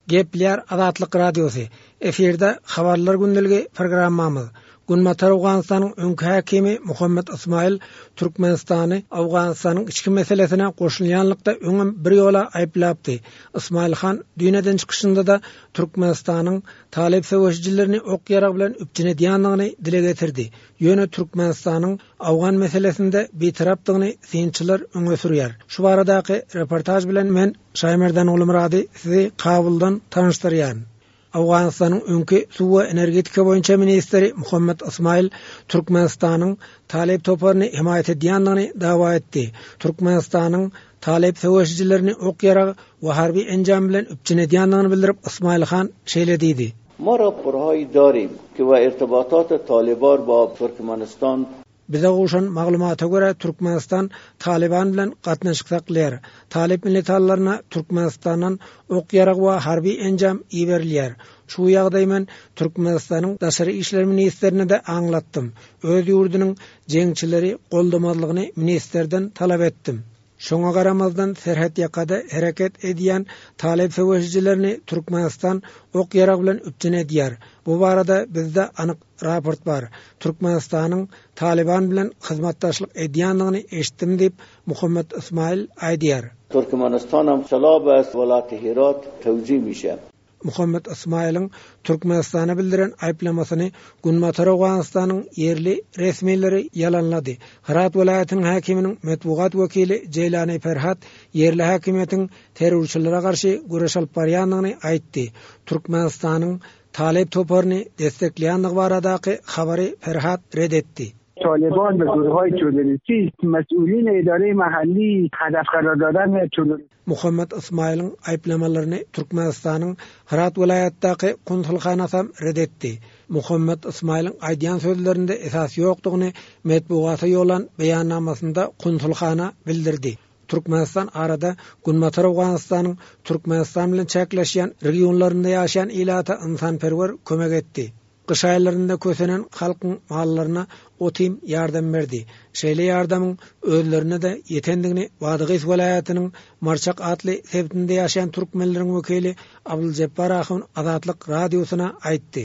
Gepleýär Azatlyk Radiosy. Efirde Habarlar gündeligi programmamyz. Günbatar Owganystanyň öňki häkimi Muhammet Ysmaýyl Türkmenistany Owganystanyň içki meselesine goşulýanlykda öňem bir ýola aýyplapdy. Ysmaýyl han düýn eden çykyşynda-da Türkmenistanyň talyp söweşijilerini ok-ýarag bilen üpjün edýändigini dile getirdi. Ýöne Türkmenistanyň owgan meselesinde bitarapdygyny synçylar öňe sürýär. Şu baradaky reportaž bilen men, Şaýmerdan Gulmyrady sizi Kabuldan tanyşdyrýaryn. Owganystanyň öňki suw we energetika boýunça ministri Muhammet Ysmaýyl Türkmenistanyň Talyp toparyny hemaýat edýändigini dawa etdi. Türkmenistanyň Talyp söweşijilerini ok-ýarag we harby enjam bilen üpjün edýändigini bildirip, Ysmaýyl han şeýle diýdi. Ma raporhaýy darim ki we irtibatat Talibar ba Turkmenistan. Bize gowşan maglumata görä, Türkmenistan Talyban bilen gatnaşyk saklaýar. Talyp militanlaryna Türkmenistandan ok-ýarag we harby enjam iberilýär. Şu ýagdaýy men Türkmenistanyň daşary işler ministrine-de aňlatdym. Öz ýurdunyň jeňçileri goldamazlygyny ministrden talap etdim. Şoňa garamazdan, serhetýakada hereket edýän talyp söweşijilerini Türkmenistan ok-ýarag bilen üpjün edýär. Bu barada bizde anyk raport bar. Türkmenistanyň Talyban bilen hyzmatdaşlyk edýändigini eşitdim diýip, Muhammet Ysmaýyl aýdýar. Türkmenistan hem silah be welaýaty Herat tewzih mişe. Muhammet Ysmaýylyň Türkmenistana bildiren aýyplamasyny Günbatar Owganystanyň ýerli resmileri ýalanlady. Hyrat welaýatynyň häkiminiň metbugat wekili Jeýlani Ferhat ýerli häkimiýetiň terrorçylara garşy göreş alyp barýandygyny aýtdy. Türkmenistanyň Talyp toparyny destekleýändigi baradaky habary Ferhat ret etdi. Talyban we guruhhaýy terroristî mes'ûlîn îdareyê mahallî hedef qerar daden terrorist. Muhammet Ysmaýylyň aýyplamalaryny Türkmenistanyň Hyrat welaýatdaky konsulhanasam ret etdi. Muhammet Ysmaýylyň aýdýan sözlerinde esas ýokdugyny metbugata ýollan beýannamasynda konsulhana bildirdi. Türkmenistan arada Günbatar Owganystanyň Türkmenistan bilen çäkleşýän regionlarynda ýaşaýan ilata ynsanperwer kömek etdi. Gyş aýlarynda kösenen halkyň mallaryna ot-iým ýardam berdi. Şeýle ýardamyň özlerine-de ýetendigini Badagys welaýatynyň Marçak atly sebitinde ýaşaýan türkmenleriň wekili Abdyljepbar ahun Azatlyk Radiosyna aýtdy.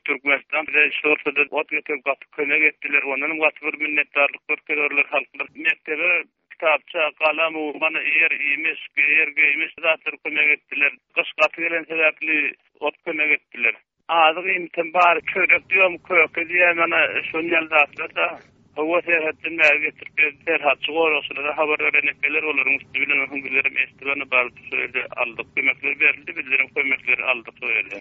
Türkmenistan bize şu ortada ot getirip gaty kömek etdiler. Ondanam gaty bir minnetdarlyk görkezerler halklar. Mekdebe kitapça, galam, mana eýer iýmiş, eýer geýmiş zatlar kömek etdiler. Gyş gaty gelen sebäpli ot kömek etdiler. Azyk iýmitem bar, çörek diýom, köke diýýän, mana şon ýaly zatlar-da. Hawa, serhetden bäri getirip berdi. Serhatçy goragçylara habar beren ekenler, olaryň üsti bilen onsoň bizlerem eşidip, ana baryp şo ýerde aldyk. Kömekler berildi, bizlerem kömekleri aldyk şo ýerde.